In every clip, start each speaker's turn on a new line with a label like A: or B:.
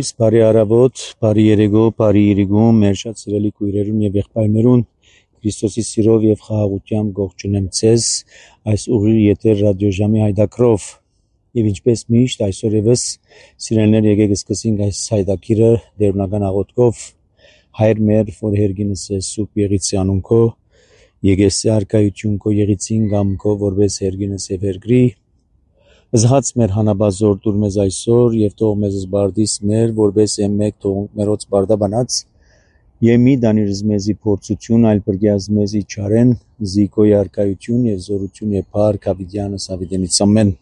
A: լույս, բարի առավոտ, բարի երեկո, բարի իրիգում, մեր շատ սիրելի քույրերուն եւ եղբայրներուն, Քրիստոսի սիրով եւ խաղաղությամբ գողջունեմ ցեզ այս ուղիղ եթեր ռադիոժամի հայդակրով եւ ինչպես միշտ այսօր եւս սիրելիներ եկեք սկսենք այս հայդակիրը դերունական աղոթքով հայր մեր որ հերգինս է սուրբ եղիցի անունքո եկեսի արքայություն քո եղիցին գամքո որպես հերգինս է վերգրի Զհաց մեր հանաբազոր դուր մեզ այսօր եւ թող մեզ զբարդիս մեր որպես մեկ թող մերոց բարդաբանած եւ մի դանիրս մեզի փորձություն այլ բրգյազ մեզի չարեն զիկոյ արքայություն եւ զորություն եւ փառք ավիդյանը սավիդենից ամեն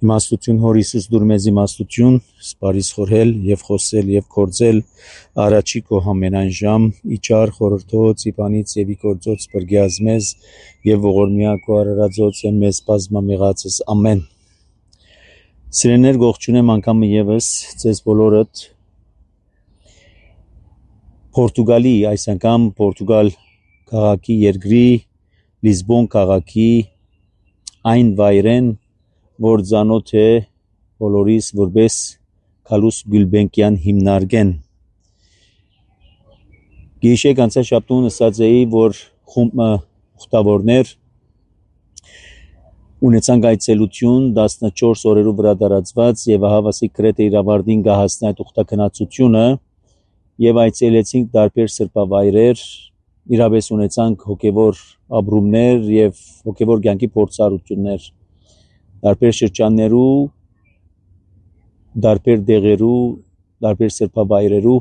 A: իմաստություն հոր Հիսուս դուր մեզ իմաստություն սպարիս խորհել եւ խոսել եւ կործել առաջի քո համենայն ժամ իջար խորհրդոց իբանից եւ իգործոց բրգյազ մեզ եւ ողորմյա քո արարածոց եւ մեզ բազմամիղածս ամեն Սիրելիներ գողջունեմ անգամ եւս ձեզ բոլորդ Պորտուգալի այս անգամ Պորտուգալ քաղաքի երկրի Լիզբոն քաղաքի այն վայրեն որ ցանոթ է բոլորիս որպես Քալուս Գուլբենկյան հիմնարկեն Գիշեր անցաշաբթուն ասած էի որ խումբը ուխտավորներ ունեցան գայցելություն 14 օրերու վրա դարածված եւահավասի կրեթե իրավարդին գահասնա այդ ուխտակնացությունը եւ այցելեցինք տարբեր սրբավայրեր իրավես ունեցանք հոգեվոր ապրումներ եւ հոգեվոր կյանքի փորձառություններ տարբեր շրջաններու տարբեր դեղերու տարբեր սրբավայրերու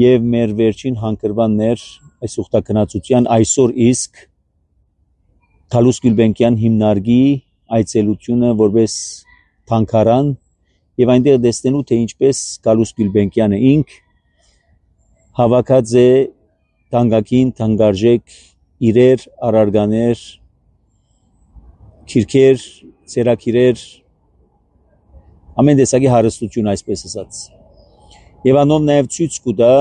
A: եւ մեր վերջին հանգրվաններ այս ուխտակնացության այսօր իսկ Քալուս Գուլբենկյան հիմնարկի այցելությունը որպես թանկարան եւ այնտեղ տեսնելու թե ինչպես Քալուս Գուլբենկյանը ինք հավաքած է թանկագին թանկարժեք իրեր արարգաներ քիրքեր ցերակիրեր ամեն տեսակի հարստություն այսպես ասած եւ անով նաեւ ցույց կուտա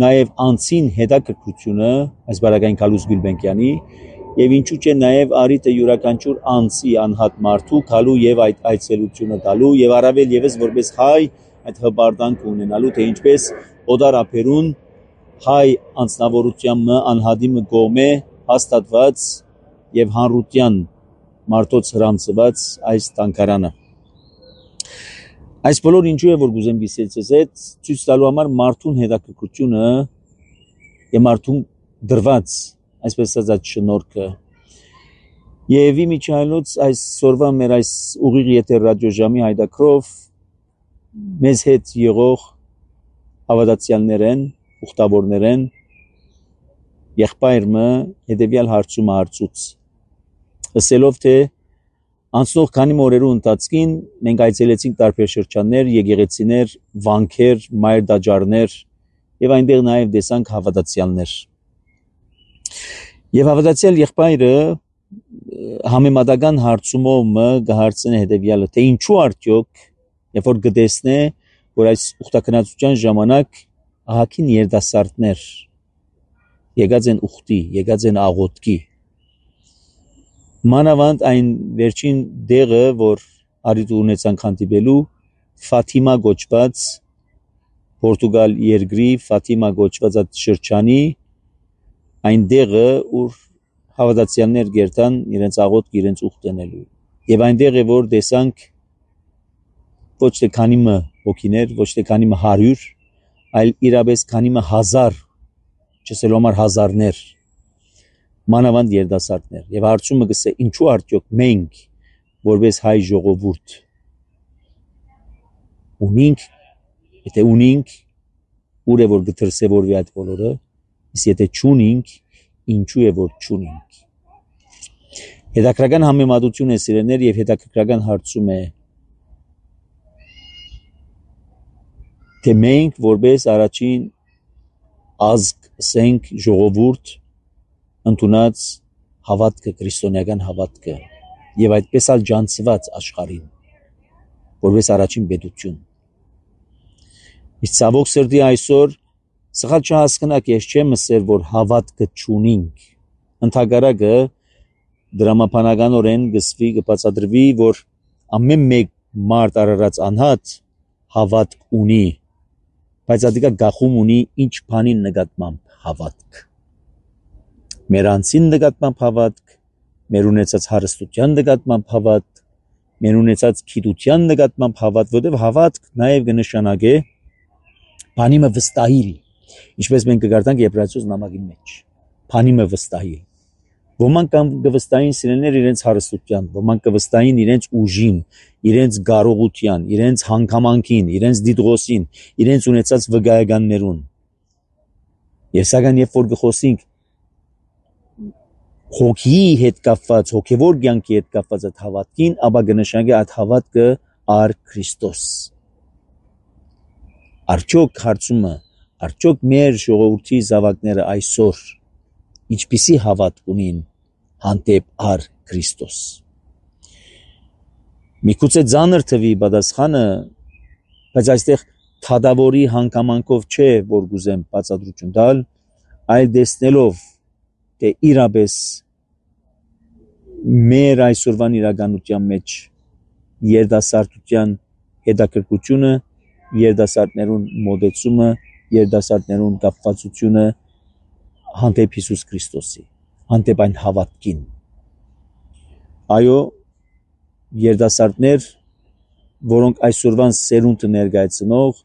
A: նաեւ անցին հետաքրքրությունը այս բարակային Քալուս Գուլբենկյանի Եվ ինչու՞ չէ նաև արիտը յուրաքանչյուր անձի անհատ մարդու քալու եւ այդ այցելությունը տալու եւ առավել եւս որպես հայ այդ հբարդանք ունենալու թե ինչպես օդարապերուն հայ անձնավորությամբ անհադիմը գոմե հաստատված եւ հանրության մարդոց հրանցված այս տանկարանը Այս բոլոր ինչու է որ գուզեմ գիսեցես այդ ցույց տալու համար մարդուն հետաքրքրությունը եւ մարդուն դրված այսպես ասած շնորհքը Եվ իմիջայլոց այս սորվա մեր այս ուղիղ եթեր ռադիոժամի հայդակրով մեզ հետ եղող հավատացյալներեն, ուխտավորներեն եղբայրը հետևյալ հարցումը հարցուց ասելով թե անցնող քանի օրերու ընթացքին մենք այցելեցինք տարբեր շրջաններ, եկեղեցիներ, վանքեր, մայր դաջարներ եւ այնտեղ նաեւ տեսանք հավատացյալներ Եվ հավատացյալ եղբայրը համեմատական հարցումով կհարցնի հետևյալը թե ինչու արդյոք երբ որ գտեսնե որ այս ուխտակնացության ժամանակ ահագին երիտասարդներ եկած են ուխտի, եկած են աղոթքի մանավանդ այն վերջին դեղը որ արիտ ունեցան հանդիպելու Ֆաթիմա գոչված Պորտուգալ երկրի Ֆաթիմա գոչված այդ շրջանի Այն դեղը ուր հավատացյալներ գերտան իրենց աղոթք իրենց ուխտենելու եւ այնտեղ է որ տեսանք ոչ թե քանիմը հոգիներ ոչ թե քանիմը 100 այլ իրապես քանիմը 1000 չսելով համար հազարներ մանավանդ երդասարտներ եւ հարցումը գսե ինչու արդյոք մենք որպես հայ ժողովուրդ ունենք եթե ունենք ուր է որ գտրսեվորվի այդ բոլորը Իսկ եթե չունենք, ինչու է որ չունենք։ Հետաքրքրական համեմատություն է սիրելիներ եւ հետաքրքրական հարցում է թե մենք որպես առաջին ազգ սենք ժողովուրդ ընդունած հավատքը քրիստոնեական հավատքը եւ այդպես ալ ջանցված աշխարհին որպես առաջին պետություն։ Իսկ ցավոք սրտի այսօր Սխալ չհասկնակ ես չեմ ասել որ հավատքը չունենք ընդհակառակը դրամապանականորեն գսվի կբացատրվի որ ամեն մեկ մարդ արարած անհատ հավատք ունի, բայց ադիկա գախում ունի ինչ բանին նկատմամբ հավատք։ Մեր անձին նկատմամբ հավատք, մեր ունեցած հարստության նկատմամբ հավատք, մեր ունեցած գիտության նկատմամբ հավատք, որտեղ հավատք նաև կնշանակե բանի մը վստահիլ, ինչպես մենք կգարտանք Եբրայեցուց նամակի մեջ, բանի մը վստահիլ։ Ոմանք կվստահին սիրելիներ իրենց հարստության, ոմանք կվստահին իրենց ուժին, իրենց կարողության, իրենց հանգամանքին, իրենց դիտողոսին, իրենց ունեցած վկայականներուն։ Եվ սակայն երբ որ կխոսենք հոգի հետ կապված, հոգևոր կյանքի հետ կապված այդ հավատքին, ապա կնշանակի այդ հավատքը առ Քրիստոս։ Արդյոք հարցումը, արդյոք մեր ժողովրդի զավակները այսօր ինչպիսի հավատք ունին հանդեպ առ Քրիստոս։ Միգուցե ծանր թվի պատասխանը, բայց այստեղ թադավորի հանգամանքով չէ, որ գուզեմ բացատրություն տալ, այլ տեսնելով թե իրապես մեր այսօրվան իրականության մեջ երիտասարդության հետաքրքրությունը, երիտասարդներուն մոտեցումը, երիտասարդներուն կապվածությունը հանդեպ Հիսուս Քրիստոսի, հանդեպ այն հավատքին։ Այո, երիտասարդներ, որոնք այսօրվան սերունդը ներկայացնող,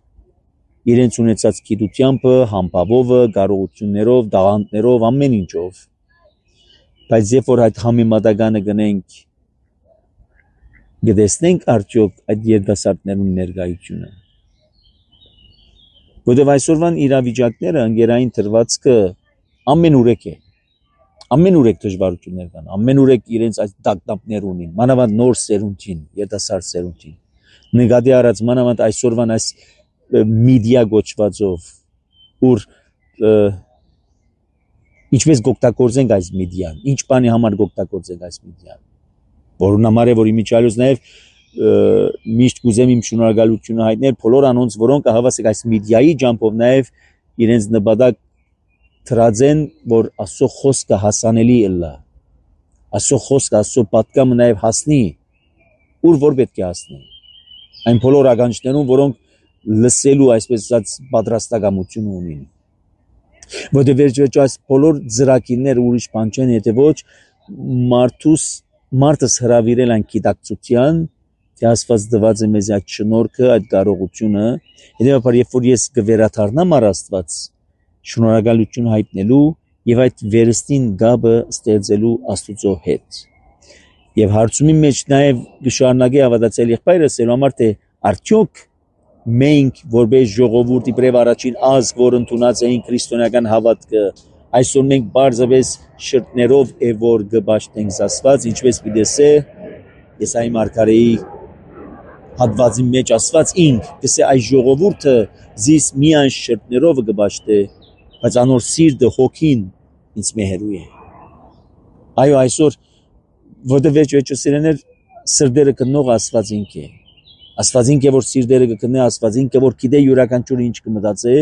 A: իրենց ունեցած գիտությամբ, համբավով, կարողություններով, տաղանդներով, ամեն ինչով, բայց երբ որ այդ համեմատականը գնենք, կտեսնենք արդյոք այդ երիտասարդներուն ներկայությունը։ Որտեղ այսօրվան իրավիճակները ընկերային դրվածքը ամենուրեք է, ամենուրեք դժվարություններ կան, ամենուրեք իրենց այս տագնապներ ունին, մանավանդ նոր սերունդին, երիտասարդ սերունդին։ Նկատի առած մանավանդ այսօրվան այս մեդիա գոչվածով, ուր ինչպես կօգտագործենք այս մեդիան, ինչ բանի համար կօգտագործենք այս մեդիան, որոնց համար է որ իմիջիալոց նաև միշտ կուզեմ իմ շնորհակալությունը հայտնել բոլոր անոնց, որոնք հավասիկ այս մեդիայի ջամփով նաև իրենց նպատակ դրած են, որ Աստծո խոսքը հասանելի ըլլա, Աստծո խոսքը, Աստծո պատգամը նաև հասնի, ուր որ պետք է հասնի, այն բոլոր ականջներուն, որոնք լսելու այսպես ասած պատրաստակամություն ունին։ Որտեղ վերջերս այս բոլոր ծրագիրները ուրիշ բան չեն, եթե ոչ մարդս հրավիրել այն գիտակցության, թե Աստված տված է մեզ այդ շնորհքը, այդ կարողությունը, հետևաբար երբ որ ես կվերադառնամ առ Աստված, շնորհակալություն հայտնելու եւ այդ վերստին գաբը ստեղծելու Աստուծո հետ։ Եվ հարցումի մեջ նաև կշարունակի հավատացել եղբայրը ասելու համար, թե արդյոք մենք որպես ժողովուրդ իբրև առաջին ազգ, որ ընդունած էին քրիստոնեական հավատքը, այսօր մենք բարձրապես շրթներով է որ կպաշտենք Աստված, ինչպես պիտեսե Եսայի մարգարեի հատվածի մեջ ասված ինք, կսե այս ժողովուրդը զիս միայն շրթներով կպաշտե, բայց անոր սիրտը հոգին ինձ մեհերու է։ Այո, այսօր որտեղ վերջը սիրեներ սրտերը կնող Աստված ինք է։ Աստված ինքը որ սիրտերը կգտնե, Աստված ինքը որ գիտե յուրաքանչյուրը ինչ կմտածե,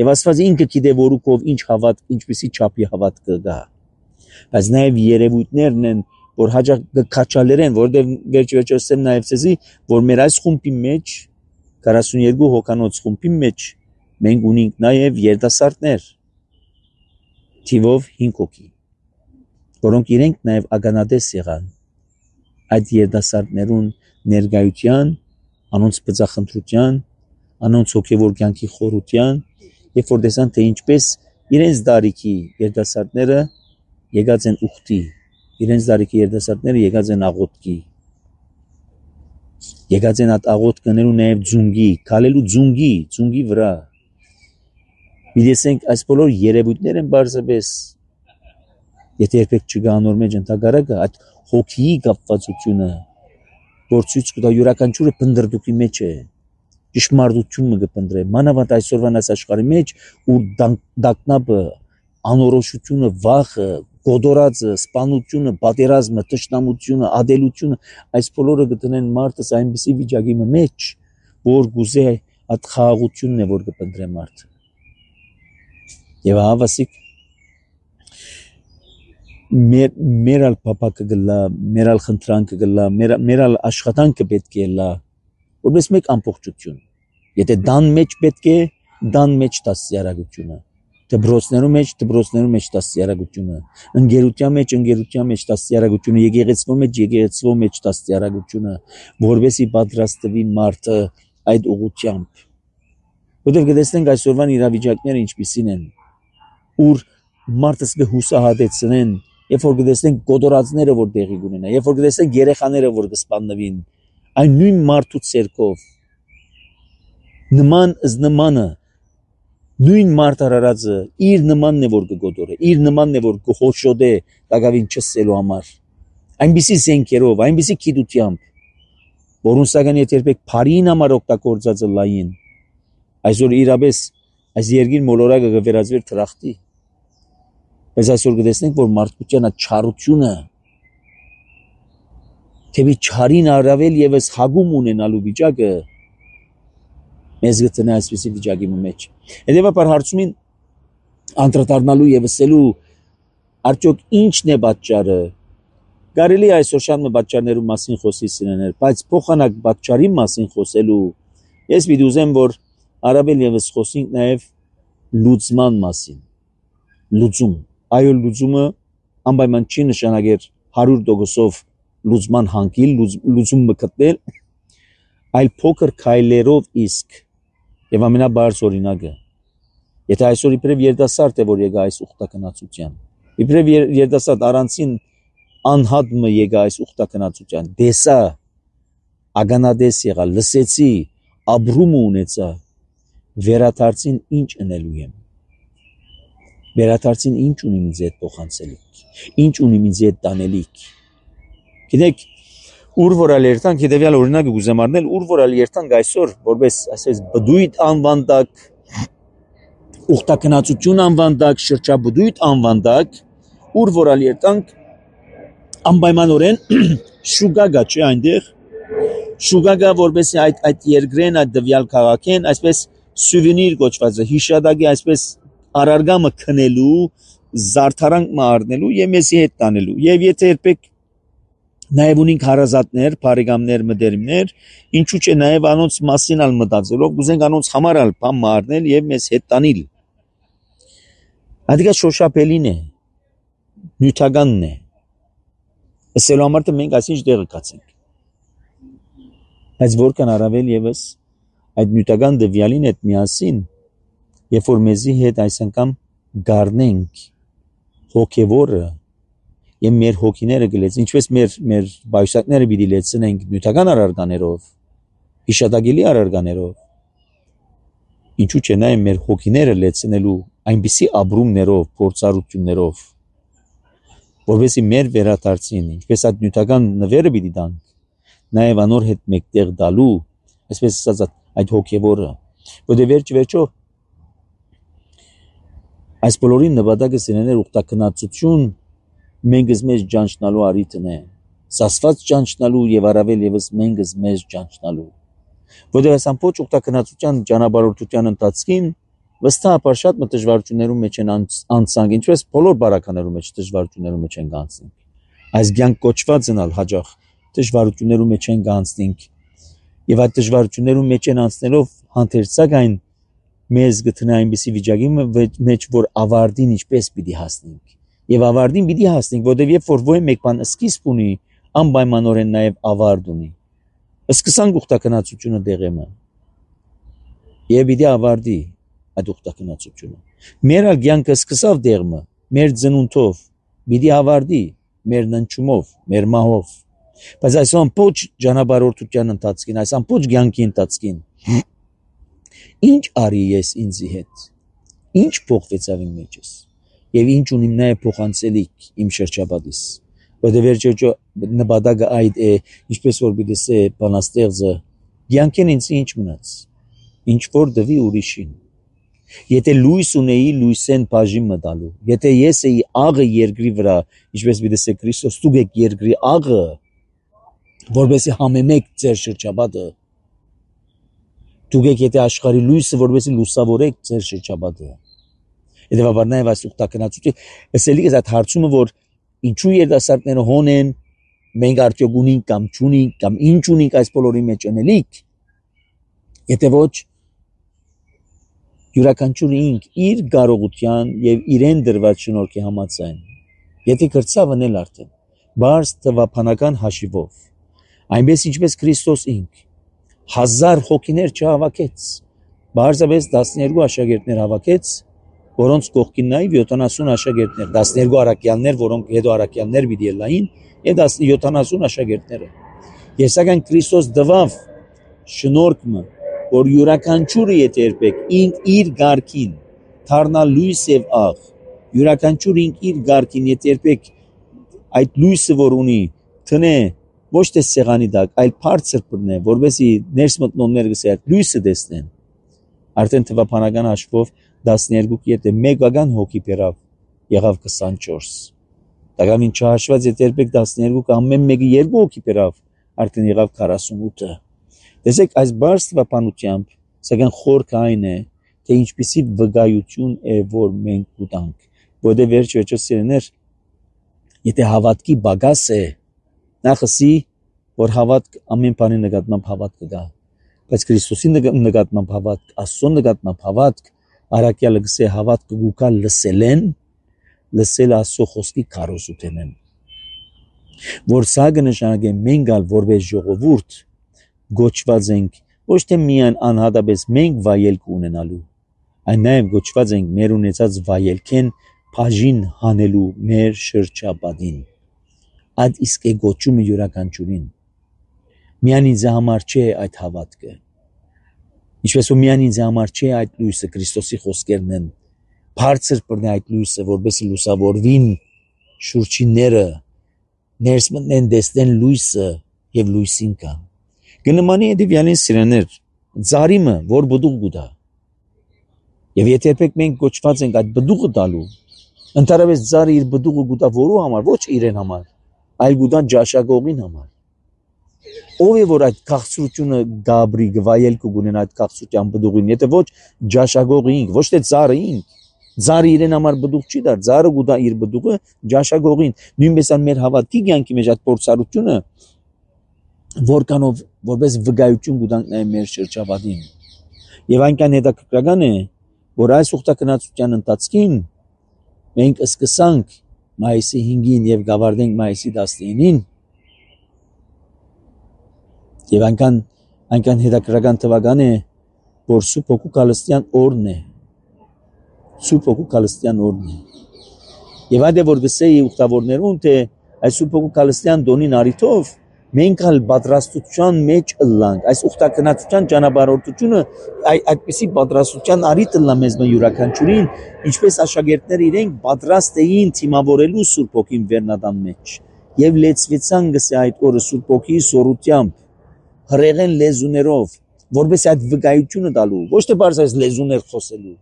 A: եւ Աստված ինքը գիտե որուկով ինչ հավատք, ինչպիսի չափի հավատք կգա։ Բայց նաեւ երևույթներն են, որ հաջող կքաչալերեն, որտեղ վերջը ասեմ նաեւ ցեզի, որ մեր այս խումբի մեջ 42 հոկանոց խումբի մեջ մենք ունենք նաեւ երիտասարդներ, թիվով 5 հոգի, որոնք իրենք նաեւ ականատես եղան այդ երիտասարդներուն ներկայության, անոնց բծախնդրության, անոնց հոգևոր կյանքի խորության, երբ որ տեսան թե ինչպես իրենց դարիքի երիտասարդները եկած են ուխտի, իրենց դարիքի երիտասարդները եկած են աղոթքի, եկած են այդ աղոթքներու նաև ձունգի, քալելու ձունգի վրա։ Մի տեսենք այս բոլոր երևույթներ են բարձրապես, եթե երբեք չգա անոր մեջ ընդհակառակը այդ հոգիի կապվածությունը, որ ցույց կտա յուրաքանչյուրը փնդրդուկի մեջ է, ճշմարտությունը կփնդրե, մանավանդ այսօրվան այս աշխարհի մեջ, ու դակնապը, անորոշությունը, վախը, գոդորածը, սպանությունը, պատերազմը, տշնամությունը, ադելությունը, այս բոլորը կտնեն մարդս այնպիսի վիճակի մեջ, որ գուզե այդ խաղաղությունն է, որ կփնդրե մարդը։ Եվ հավասիկ մեր ալ փապակը գլա, մեր ալ խնդրանքը գլա, մեր ալ աշխատանքը պետք է լա, որպես մեկ ամբողջություն։ Եթե դան մեջ պետք է, դան մեջ դաստիարակությունը։ Դբրոցներում մեջ դաստիարակությունը։ Ընկերության մեջ դաստիարակությունը, եկեղեցվո մեջ դաստիարակությունը, որովհետեւ պատրաստվի մարդը այդ ուղղությամբ։ Որտեղ կտեսնենք այսօրվան իրավիճակները ինչպիսին են, ուր մարդը կհուսահատեցնեն, երբ որ կտեսնենք կոտորածները որ տեղի կունենա, երբ որ կտեսնենք երեխաները որ կսպանվին, այն նույն մարդու ցերկով նման զնմանը նույն մարդ արարածը իր նմանն է որ կգոտորե, իր նմանն է որ կխոշոտե դակավին չսելու համար, այնպիսի զենքերով, այնպիսի գիտությամբ, որոնց սակայն եթե երբեք բարին համար օգտագործածը լային, այսօր իրապես այս երկիր մոլորակը կվերածվեր թրախտի, բայց այսօր կտեսնենք որ մարդկության այդ չարությունը, թեպի չարին առավել եւս հագում ունենալու վիճակը մեզ գտնի այսպիսի վիճակի մեջ։ Հետևաբար հարցումին անդրադառնալու եւ ասելու արդյոք ինչն է պատճառը։ Կարելի է այսօր շատ պատճառներու մասին խոսիցնել, բայց փոխանակ պատճառի մասին խոսելու ես պիտի ուզեմ որ առավել եւս խոսենք նաեւ լուծման մասին։ Լուծում։ Այո, լուծումը անպայման չի նշանակեր 100% լուծման հանգիլ, լուծումը գտնել, այլ փոքր քայլերով իսկ եւ ամենաբարձ օրինակը։ Եթե այսօր իբրև երդասարդ է որ եկա այս ուխտակնացության, իբրև երդասարդ առանցին անհատը եկա այս ուխտակնացության, դեսա ագանադես եղա, լսեցի, ապրում ունեցա, վերադարձին ինչ ընելու եմ։ Վերադարձին ինչ ունի ինձ հետ փոխանցելիք, ինչ ունի ինձ հետ տանելիք։ Գիտեք, ուր որ ալերտանք հետևյալ օրինակը կուզեմ առնել, ուր որ ալերտանք այսօր, որպես ասես բդույթ անվանդակ, ուխտակնացություն անվանդակ, շրջաբդույթ անվանդակ, ուր որ ալերտանք անպայմանորեն շուգա գա չէ այնտեղ, շուգա գա որպես այդ երկրեն, այդ դվյալ քաղաքեն, այսպես սուվենիր կոչված է, հիշադակի այսպես արարգամը քնելու, զարդարանք մառնելու եւ մեզի հետ տանելու։ Եվ եթե երբեք նաև ունենք հարազատներ, բարեկամներ, մտերիմներ, ինչու՞ չէ նաև անոնց մասին ալ մտածելով, կուզենք անոնց համար ալ բան մարնել եւ մեզ հետ տանել։ Ադիգա շոշափելին է, նյութականն է։ Ասելու համար թե մենք այսինչ դեղը կացենք։ Բայց որքան առավել եւս այդ նյութական դվյալին հետ միասին, երբ որ մեզի հետ այս անգամ գառնենք հոգեվորը եւ մեր հոգիները գլեց, ինչպես մեր բայսակները պիտի լեցնենք նյութական առարկաներով, հիշատակելի առարկաներով, ինչու՞ չէ նաեւ մեր հոգիները լեցնելու այնպիսի ապրումներով, փորձառություններով, որովհետեւ մեր վերադարձին, ինչպես այդ նյութական նվերը պիտի տանք, նաեւ անոր հետ մեկտեղ դալու, այսպես ասած այդ հոգեվորը, որտեղ վերջո այս բոլորի նպատակը սենեներ ուխտակնացություն մենք մեզ ճանչնալու արիտն է, սասված ճանչնալու եւ առավել եւս մենք մեզ ճանչնալու, որտեղ այս ամբողջ ուխտակնացության ճանապարհորդության ընթացքին վստահաբար շատ դժվարություններում մեջ են անցանք, ինչպես բոլոր բարականերում մեջ դժվարություններում մեջ են անցնենք, այս ցանկ կոչվածն ալ հաջող դժվարություններում մեջ են անցնենք եւ այդ դժվարություններում մեջ են անցնելով հանդերձակայն մեզ գտնի այնպիսի վիճակի մեջ որ ավարտին ինչպես պիտի հասնենք եւ ավարտին պիտի հասնենք որովհետեւ երբ որ ոյ մեկ բան սկիզբ ունի անպայմանորեն նաեւ ավարտ ունի սկսանք ուխտակնացությունը դեղեմը եւ պիտի ավարտի այդ ուխտակնացությունը մեր ալգյանքը սկսավ դեղմը մեր ծնունդով պիտի ավարտի մեր ննչումով մեր մահով բայց այս ամբողջ ճանապարհորդության ընթացքին այս ամբողջ կյանքի ընթացքին ինչ արի ես ինձի հետ ինչ փոխվեցավ իմ մեջս եւ ինչ ունիմ նաեւ փոխանցելիք իմ շրջապատիս որտեղ վերջո նպատակը այդ է ինչպես որ բիդեսե բանաստեղծը կյանքին ինձ ինչ մնաց ինչ որ դվի ուրիշին եթե լույս ունեի լույսեն բաժին մտալու եթե ես էի աղը երկրի վրա ինչպես բիդեսե Քրիստոս դուք եք երկրի աղը որովհետեւ համեմեք ձեր շրջապատը դուք եք եթե աշխարհի լույսը որովհետեւ լուսավորեք ձեր շրջապատը Հետևաբար նաև այս ուխտակնացությունը ասելի է այդ հարցումը որ ինչու երիտասարդները հոն են մենք արդյոք ունենք կամ չունենք կամ ինչ ունենք այս բոլորի մեջ անելիք եթե ոչ յուրաքանչյուր ինք իր կարողության եւ իրեն դրված շնորհքի համաձայն եթե կրծա վնել արդեն բարձ թվափանական հաշիվով այնպես ինչպես Քրիստոս ինք 1000 հոգիներ չհավաքեց բարձրապես 12 աշակերտներ հավաքեց որոնց կողքին նաև 70 աշակերտներ 12 առաքյալներ որոնք հետո առաքյալներ պիտի ելային եւ 70 աշակերտները եւ սակայն Քրիստոս դվավ շնորհքը որ յուրաքանչյուրը եթե երբեք ինք իր գարքին դառնա լույս եւ աղ յուրաքանչյուր ինք իր գարքին եթե երբեք այդ լույսը որ ունի տնե ոչ թե սեղանի տակ այլ բարձր բռնե որովհետեւ ներս մտնողները գսե այդ լույսը տեսնեն արդեն թվափանական հաշվով 12 եթե մեգական հոգի բերավ եղավ 24 դակամին չհաշված եթե երբեք 12 ամեն մեկը 2 հոգի բերավ արդեն եղավ 48 տեսեք այս բարձ թվափանությամբ սակայն խորքը այն է թե ինչպիսի վկայություն է որ մենք ուտանք որտեղ վերջ սիրեներ եթե հավատքի բագաս է նախսի որ հավատք ամեն բանի նկատմամբ հավատք կգա բայց Քրիստոսի նկատմամբ հավատք Աստծո նկատմամբ հավատք Արաքյալը գսե հավատքը գուկա լսել Աստծո խոսքի քարոզութենեն որ սա կնշանակե մենք ալ որպես ժողովուրդ գոչված ենք ոչ թե միայն անհատապես մենք վայելք ունենալու այն նաև գոչված ենք մեր ունեցած վայելքեն բաժին հանելու մեր շրջապատին այդ իսկ է գոչումը յուրաքանչյուրին միայն ինձ համար չէ այդ հավատքը ինչպես որ միայն ինձ համար չէ այդ լույսը Քրիստոսի խոսքերն են բարձր բռնի այդ լույսը որովհետեւ լուսավորվին շուրջինները ներս մտնեն տեսնեն լույսը եւ լույսին կան գնմանի դիվյանին սիրաներ ծարիմը որ բդուղ գուտա եւ եթե երբեք մենք գոչված ենք այդ բդուղը տալու ընդհանրապես ծարը իր բդուղը գուտա որու համար ոչ իրեն համար այլ գուտա ջաշագողին համար ով է որ այդ քաղցրությունը գաբրի գվայել կունենա այդ քաղցրության բդուղին եթե ոչ ջաշագողը ինք ոչ թե ծարը ինք ծարը իրեն համար բդուղ չի դար ծարը գուտա իր բդուղը ջաշագողին նույնպես ան մեր հավատքի կյանքի մեջ այդ փորձառությունը որքանով որպես վկայություն գուտանք նաև մեր շրջապատին եւ այնքան հետաքրքրական է որ այս ուխտակնացության ընթացքին մենք սկսանք մայիսի 5-ին եւ գավարտենք մայիսի 19-ին եւ այնքան հետաքրքրական թվական է որ Սուրբ Հոգու Քալստյան օրն է Սուրբ Հոգու Քալստյան օրն է եւ այդ է որ գսեի ուխտավորներուն թե այս Սուրբ Հոգու Քալստյան դոնին արիթով մենք ալ պատրաստության մեջ ըլլանք այս ուխտակնացության ճանապարհորդությունը այդպիսի պատրաստության արիթ ըլլա մեզ յուրաքանչյուրին ինչպես աշակերտները իրենք պատրաստ էին թիմավորելու Սուրբ Հոգին վերնադան մեջ եւ լեցվեցան գսե այդ օրը Սուրբ Հոգի սորությամբ հրեղեն լեզուներով որպես այդ վկայությունը տալու ոչ թե բարձրացած լեզուներ խոսելու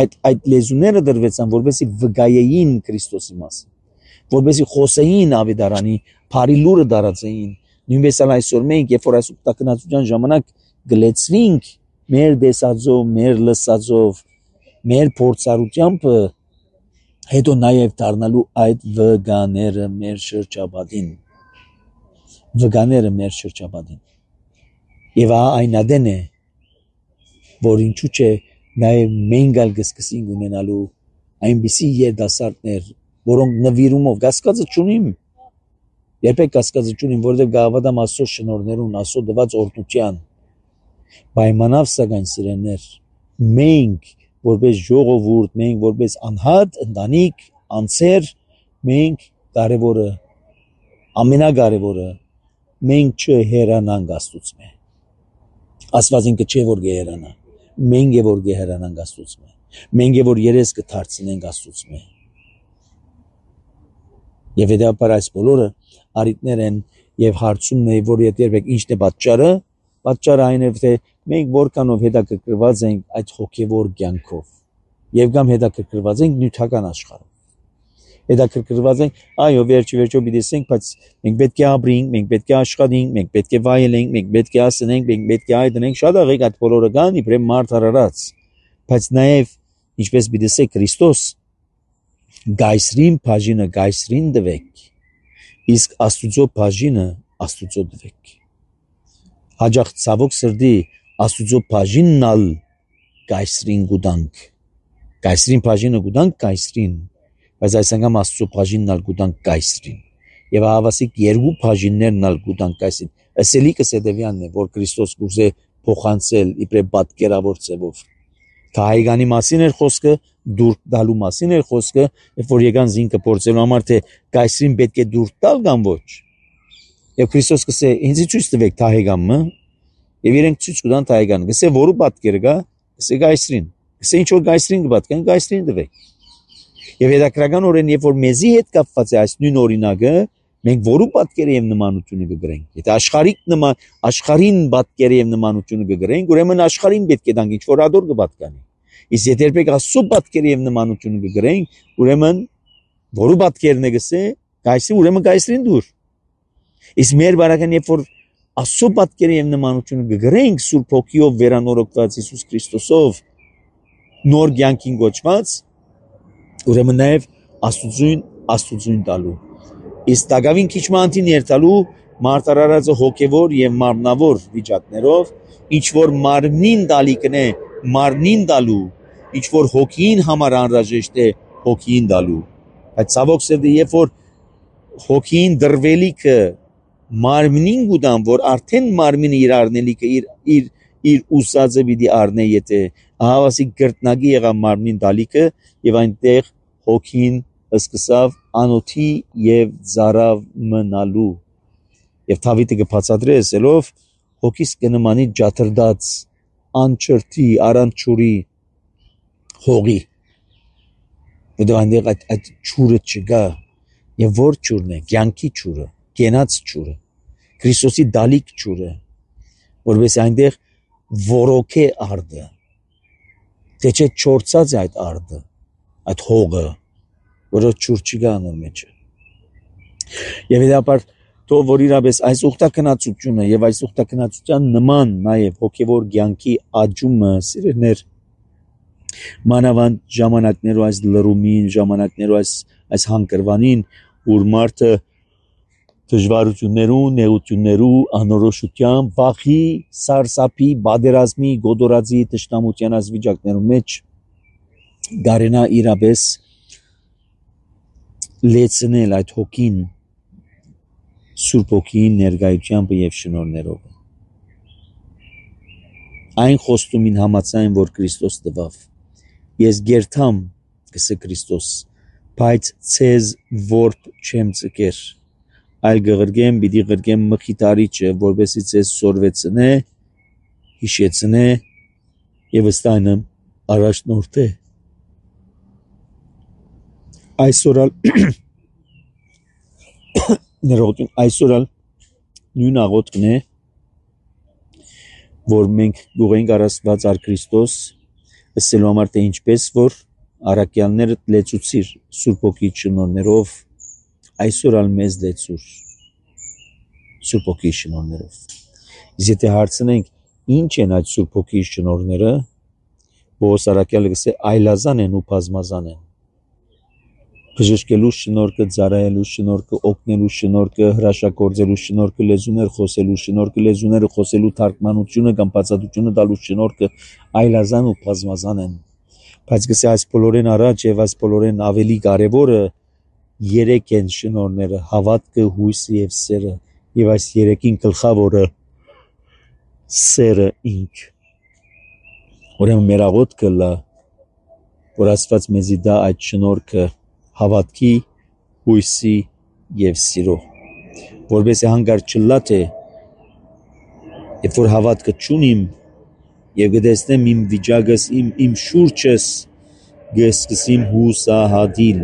A: այդ լեզուները դրվեցան որպեսզի վկայեին Քրիստոսի մասին որպեսզի խոսեին ավետարանի բարի լուրը դարածեին նույնպես այսօր մենք երբ որ այս ուխտակնացության ժամանակ գլեցվինք մեր դեսածով մեր լսածով մեր փորձառությամբ հետո նաև դառնալու այդ վկաները մեր շրջապատին եւ այն ադեն է որ ինչու՞ չէ նաև մենք ալ կսկսենք ունենալու այնպիսի երդասարտներ որոնք նվիրումով կասկածը չունիմ երբեք կասկածը չունիմ որովհետեւ գավադամ Աստծո շնորհներուն Աստծո դված օրհնության պայմանավ սակայն սիրելիներ մենք որպես ժողովուրդ մենք որպես անհատ ընտանիք անձեր մենք կարևորը ամենակարևորը մենք չհեռանանք Աստծուց Աստված ինքը չէ որ գերանա մենք է որ գերանանք Աստծուց մենք է որ երես կդարձնենք Աստծուց եւ հետեւաբար այս բոլորը արիտներ են եւ հարցումն է որ երբեք ինչն է պատճառը այն է թե մենք որքանով հետաքրքրված ենք այդ հոգեվոր կյանքով եւ կամ հետաքրքրված ենք նյութական աշխարհով հետաքրքրված ենք այո վերջի պիտի ասենք բայց մենք պետք է ապրենք մենք պետք է աշխատենք մենք պետք է վայելենք մենք պետք է ասենք մենք պետք է այդենք շատ աղեք այդ բոլորը կան իբրև մարդ արարած բայց նաեւ ինչպես պիտի ասեք Քրիստոս գայսրին բաժինը գայսրին դվեք իսկ Աստուծո բաժինը Աստուծո դվեք հաջող ցավոք սրդի Աստուծո բաժինն ալ կայսրին գուտանք կայսրին բաժինը գուտանք կայսրին բայց այս անգամ Աստծո բաժինն ալ գուտանք կայսրին եւ հավասիկ երկու բաժիններն ալ գուտանք կայսրին ասելիքը սեդևյանն է որ Քրիստոս կուզե փոխանցել իբրե պատկերավոր ձևով Թահեգանի մասին էր խոսքը դուրք դալու մասին էր խոսքը երբ որ եկան զինքը փորձելու համար թե կայսրին պետք է դուրք տալ կամ ոչ եւ Քրիստոս կսե ինձ ցույց տվեք Թահեգամը եւ իրենք ցույց կտան Թահեգանը կսե որու պատկերը կա կսե կայսրին կսե ինչ որ կայսրին կպատկեն կայսրին տվեք եւ հետաքրական օրեն երբ որ մեզի հետ կապված է այս նույն օրինակը մենք որու պատկերը եւ նմանությունը կգրենք եթե աշխարհին պատկերը եւ նմանությունը կգրենք ուրեմն աշխարհին պետք է տանք ինչ որ ադոր կպատկանի իսկ եթե երբեք Աստծո պատկերը եւ նմանությունը կգրենք ուրեմն որու պատկերն է գսե կայսրի ուրեմն կայսրին դուր իսկ մեր բարական երբ որ Աստծո պատկերը եւ նմանությունը կգրենք Սուրբ Հոգիով վերանորոգված Հիսուս Քրիստոսով նոր կյանքին գոչված ուրեմն նաեւ Աստծուն տալու իսկ դակավին քիչ մանտին երթալու մարտարարածը հոգևոր եւ մարմնավոր վիճակներով ինչ որ մարմնին տալիկն է մարմնին տալու ինչ որ հոգին համար անհրաժեշտ է հոգին տալու բայց ցավոք սերդի երբ որ հոգին դրվելիքը մարմնին գուտան որ արդեն մարմինը իր առնելիքը իր ուսածը պիտի առնե եթե հավասիկ գրտնագի եղավ մարմնին տալիկը եւ այնտեղ հոգին սկսավ անոթի եւ ծարավ մնալու եւ Դավիթը կբացատրի ասելով հոգիս կնմանի ջաթրդած անչրտի արանչուրի հողի դա այնտեղ այդ ճուրը չկա եւ որ ճուրն է կյանքի ճուրը կենաց ճուրը Քրիստոսի դալիք ճուրը որովհետեւ այնտեղ որոքե արդը թե չէ չորցած է այդ արդը այդ հողը որը ճուր չկա նոր մեջը եւ հետապար թող որ իրապես այս ուխտակնացությունը եւ այս ուխտակնացության նման նաեւ հոգեվոր կյանքի աճումը սիրելիներ մանավանդ ժամանակներով այս լրումին ժամանակներով այս հանգրվանին որ մարդը դժվարություններու նեղություններու անորոշության վախի սարսափի բادرազմի գոդորածի տշնամության այս վիճակներու մեջ գարենա իրապես լեցնել այդ հոգին Սուրբ Հոգին ներկայությամբ եւ շնորհներով այն խոստումին համաձայն որ Քրիստոս տվավ ես գերթամ կսե Քրիստոս բայց ցեզ որբ չեմ ցկեր այլ գղրգեմ պիտի գրգեմ մխիթարիչը որովհետեւ ցեզ սորվեցնե հիշեցնե եւ ըստայնը առաջնորդե այսօր նույն աղոթքն է որ մենք գուղենք առաստված ար Քրիստոս ասելու համար թե ինչպես որ առաքյալները լեցուցիր Սուրբ Հոգի շնորհներով այսօր ալ մեզ լեցուր Սուրբ Հոգի շնորհներով իսկ եթե հարցնենք ինչ են այդ Սուրբ Հոգի շնորհները Պողոս առաքյալը գսե այլազան են ու բազմազան են բժշկելու շնորհքը, ծառայելու շնորհքը, օգնելու շնորհքը, հրաշագործելու շնորհքը, լեզուներ խոսելու շնորհքը, լեզուները խոսելու թարգմանությունը կամ բացատրությունը տալու շնորհքը այլազան ու բազմազան են։ Բայց գսե այս բոլորեն առաջ եւ այս բոլորեն ավելի կարեւորը երեք են շնորհները՝ հավատքը, հույսը եւ սերը, եւ այս երեքին գլխավորը սերը ինք։ Ուրեմն մեր աղոթքը լա, որ Աստված մեզի դա այդ շնորհքը հավատքի, հույսի եւ սիրո, որովհետեւ հանգար չլա թե երբ որ հավատքը չունիմ եւ գտեսնեմ իմ վիճակս, իմ շուրջս գսկսիմ հուսահատիլ,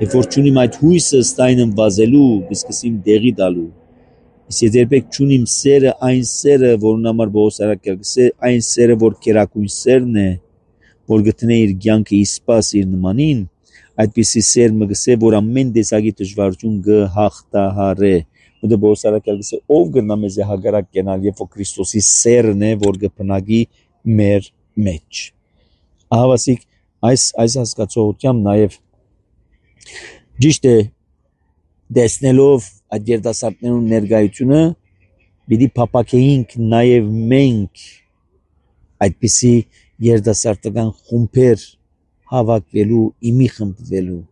A: երբ որ չունիմ այդ հույսը ստայնեմ վազելու, գսկսիմ դեղի տալու, իսկ երբեք չունիմ սերը, այն սերը, որն համար Պողոս առաքյալը գսե, այն սերը, որ կերակույն սերն է, որ գտնե իր կյանքը իսպաս իր նմանին, այդպիսի սեր մը գսե, որ ամեն տեսակի դժվարություն գհաղթահարե, ու Պողոս առաքյալը գսե, ով գնա մեզ հագարակ կենալ, երբ որ Քրիստոսի սերն է, որ գբնագի մեր մեջ։ Ահավասիկ այս հասկացողությամբ նաև ճիշտ է դեսնելով այդ երիտասարդներու ներկայությունը պիտի փապակեինք նաև մենք այդպիսի երդասարտական խումբեր հավաքվելու, իմի խմբվելու,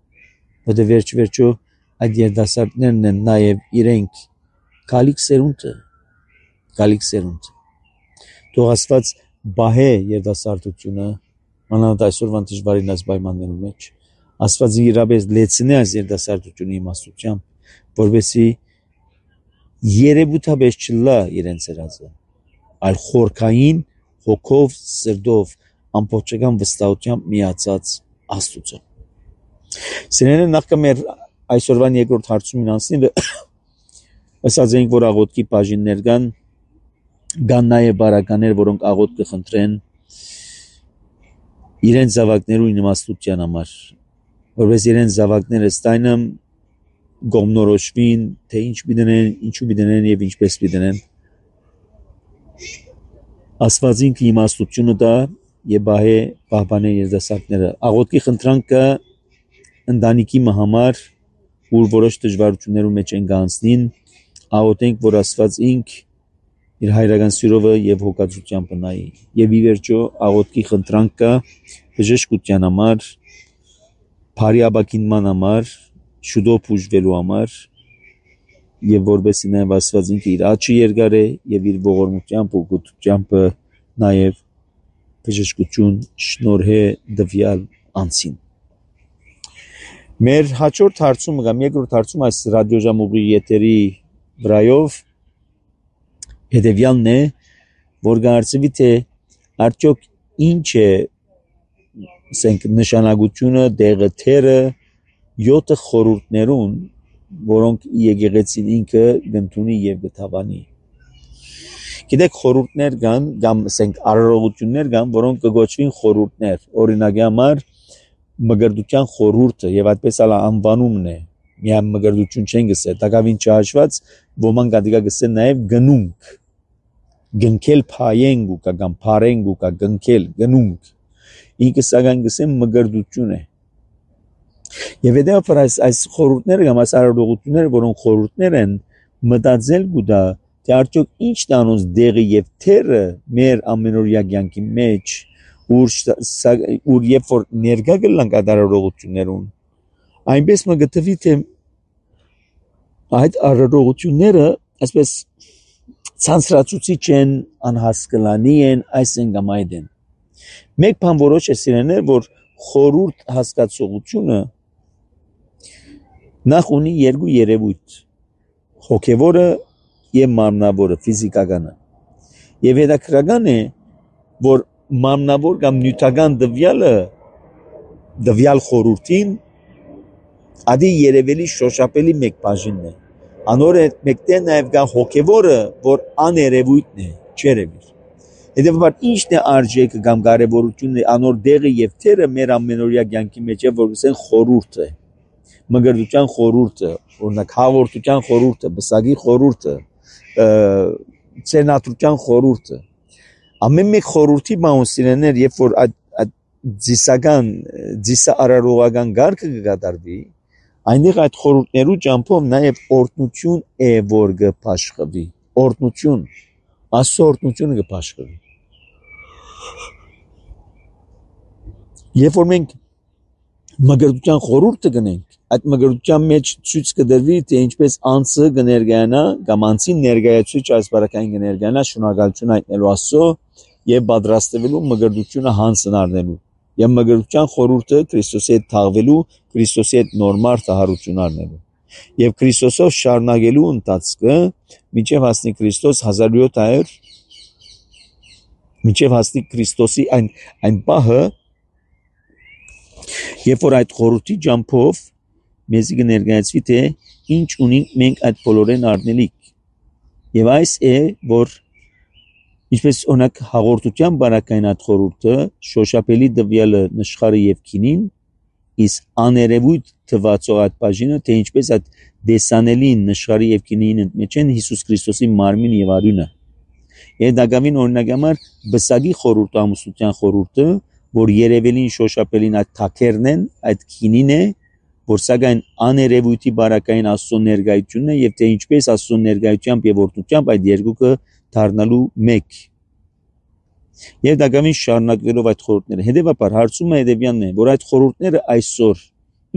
A: որտեղ վերջո այդ երդասարտներն են նաև իրենք գալիք սերունդը։ Թող Աստված բահե երդասարտությունը, մանավանդ այսօրվան դժվարին այս պայմաններում մեջ, Աստված իրապես լեցնի այս երդասարտությունը իմաստությամբ, որովհետեւ երևութաբես չլա իրենց հրազը, այլ խորքային հոգով, սրտով, ամբողջական վստահությամբ միացած Աստծո։ Սիրելիներ, նախքան մեր այսօրվան երկրորդ հարցումին անցնելը, ասած ենք, որ աղոթքի բաժիններ կան նաև բարականներ, որոնք աղոթք կխնդրեն իրենց զավակներու իմաստության համար, որպես իրենց զավակները ստայնը գոմնորոշվին, թե ինչ պիտենեն, ինչու պիտենեն եւ ինչպես պիտենեն։ Աստված ինքը իմաստությունը տա եւ բահե պահպանե երդասարտները։ Աղոթքի խնդրանքը ընտանիքի համար, որ որոշ դժվարություններու մեջ են գանցնին, աղոթենք, որ Աստված ինք իր հայրական սիրովը եւ հոգացությամբ նայի։ Եվ ի վերջո աղոթքի խնդրանքը բժշկության համար, բարի ապակինման համար, շուտով բուժվելու համար եւ որովհետեւ նաեւ Աստված ինքը իր աչքի երկար է եւ իր ողորմությամբ ու գոթությամբ նաեւ բժշկություն շնորհե դվյալ անցին։ Մեր հաջորդ հարցումը կամ երկրորդ հարցումը այս ռադիոժամուղի եթերի վրայով հետևյալն է, որ գարցվի թե արդյոք ինչ է նշանակությունը դեղը թերը 7 խորհուրդներուն, որոնք եկեղեցին ինքը գտնունի եւ գտավանի։ Գիտեք, խորհուրդներ կան, կամ ասենք արարողություններ կան, որոնք կգոչվին խորհուրդներ։ Օրինակի համար մգրդության խորհուրդը եւ այդպես ալ անվանումն է։ Միայն մգրդություն չեն գսել, դակավին չհաշված ոմանք ադիգա գսել նաեւ գնունք։ Գնքել փայենգու կամ փարենգու գնքել գնունք։ Ինքը սակայն գսեմ մգրդություն է։ Եվ հետեւաբար այս խորհուրդները կամ այս արարողությունները, որոնք խորհուրդներ են, մտածել գուտա, թե արդյոք ինչ տանոց դեղը եւ թերը մեր ամենօրյա կյանքի մեջ, ուր երբ որ ներկա գլանք այդ արարողություններուն, այնպես մը գտվի թե այդ արարողությունները այսպես ցանցրացուցիչ են, անհասկալանի են, այս են կամ այդ են։ Մեկ բան որոշ է սիրելիներ, որ խորհուրդ հասկացողությունը նախ ունի երկու երևույթ՝ հոգևորը եւ մարմնավորը, ֆիզիկականը։ Եվ հետաքրքրական է, որ մարմնավոր կամ նյութական դվյալ խորհրդին ադի երևելի շոշափելի մեկ բաժինն է։ Անոր հետ մեկտեղ նաեւ կա հոգևորը, որ աներևույթն է, չերևիր։ Հետևաբար ինչն է արժեքը կամ կարևորությունը անոր դեղը եւ թերը մեր ամենօրյա կյանքի մեջ է, որ ասեն խորհուրդ է։ Մգրդության խորհուրդը, օրինակ հաղորդության խորհուրդը, բսակի խորհուրդը, ցենատրության խորհուրդը։ Ամեն մեկ խորհրդի բանոսիներ, երբ որ այդ ծիսարարողական գարկը կկատարվի, այնտեղ այդ խորհուրդներու ճամփով նաեւ օրտնություն է, որ կփաշխվի։ Օրտնություն, Աստծո օրտնությունը կփաշխվի։ Երբ որ մենք մգրդության խորհուրդը գնենք, այդ մգրդության մեջ ցույց կդրվի, թե ինչպես անձը կներկայանա, կամ անձին ներկայացուցիչ այս բարակային կներկայանա շնորհակալություն հայտնելու Աստծո եւ պատրաստվելու մգրդությունը հանցն առնելու։ Եվ մգրդության խորհուրդը Քրիստոսի հետ թաղվելու, Քրիստոսի հետ նորմալ տահարություն առնելու։ Եվ Քրիստոսով շարունակելու ընթացքը մինչև հասնի Քրիստոս 1700 մինչև հասնի Քրիստոսի այն պահը, երբ որ այդ խորհրդի ջամփով մեզ կներկայացվի թե ինչ ունենք մենք այդ բոլորեն առնելիք։ Եվ այս է, որ ինչպես օրինակ հաղորդության բարակային այդ խորհուրդը շոշափելի դվյալը նշխարը եւ քինին, իսկ աներևույթ թվացող այդ բաժինը, թե ինչպես այդ դեսանելին նշխարի եւ քինին մեջ են Հիսուս Քրիստոսի մարմին եւ արյունը։ Եվ դակավին օրինակի համար բսակի խորհուրդը, ամուսնության խորհուրդը, որ երևելին շոշափելին այդ թակերն են, այդ քինին է, որ սակայն աներևույթի բարակային Աստծո ներկայությունն է եւ թե ինչպես Աստծո ներկայությամբ եւ օրհնությամբ այդ երկուքը դառնալու մեկ։ Եվ դակամին շարունակվելով այդ խորհուրդները, հետևաբար հարցումը հետևյալն է, որ այդ խորհուրդները այսօր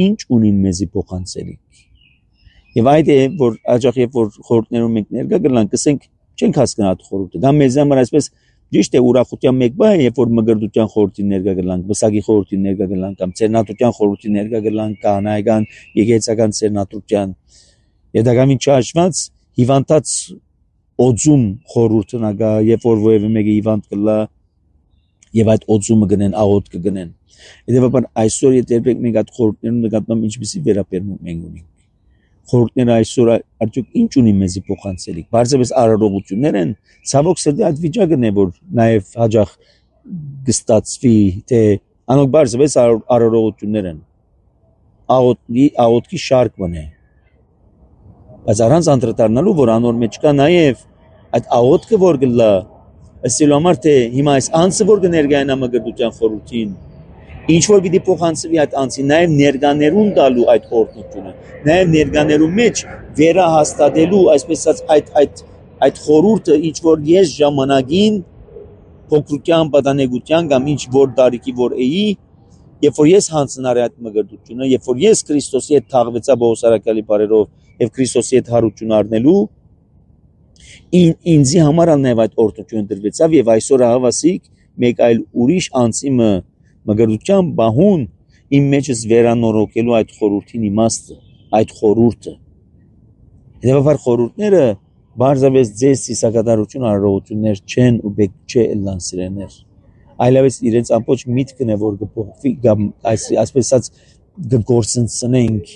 A: ինչ ունին մեզի փոխանցելի։ Եվ այդ է, որ աջախ երբ որ խորհուրդներում մենք ներկա գնանք, կսենք չենք հասկանա այդ խորհուրդը։ Դա մեզ համար այսպես ճիշտ է ուրախության մեկ բան է, երբ որ մգրդության խորհրդին ներկա գնանք, բսակի խորհրդին ներկա գնանք, կամ ծերնատության խորհրդին ներկա գնանք, կանայական, եկեղեցական ծերնատության։ Եվ դակամին չհաշված հիվանդած օծում խորհուրդը նագա, երբ որ ովևէ մեկը հիվանդ կլա եւ այդ օծումը գնեն, աղոտ կգնեն։ Հետեւաբար այսօր եթե մենք այդ խորհուրդներում նկատմամբ ինչպեսի վերաբերմունք մենք ունենք։ Խորհուրդները այսօր արդյոք ինչ ունի մեզի փոխանցելիք։ Բարձրապես արարողություններ են, ցավոք սրտի այդ վիճակն է, որ նաեւ հաջող գստացվի, թե անոնք բարձրապես արարողություններ են։ Աղոտքի շարք մնե։ Բայց առանց անդրադառնալու, որ անոր մեջ կա նաեւ այդ աղոտքը, որ գլա, ասելու համար թե հիմա այս անձը որ կներկայանա մգրդության խորհրդին, ինչ որ պիտի փոխանցվի այդ անձի, նաեւ ներկաներուն տալու այդ օրհնությունը, նաեւ ներկաներու մեջ վերահաստատելու, այսպես ասած այդ խորհուրդը, ինչ որ ես ժամանակին փոքրության պատանեկության կամ ինչ որ տարիքի որ էի, երբ որ ես հանձնարի այդ մգրդությունը, երբ որ ես Քրիստոսի հետ թաղվեցա Բողոսարակալի բարերով եւ Քրիստոսի հետ հարություն առնելու, ինձի համար նաև այդ օրհնությունը դրվեցավ եւ այսօր հավասիկ մեկ այլ ուրիշ անձի մգրդության բահուն իմ մեջս վերանորոգելու այդ խորհրդին իմաստը, այդ խորհուրդը։ Հետևաբար խորհուրդները բարձրապես ձեզ սիսակատարություն արարողություններ չեն ու բեք չէ ելան սիրեներ։ Այլևս իրենց ամբողջ միտքն է որ կփոխվի կամ այսպես ասած կգործընծնենք,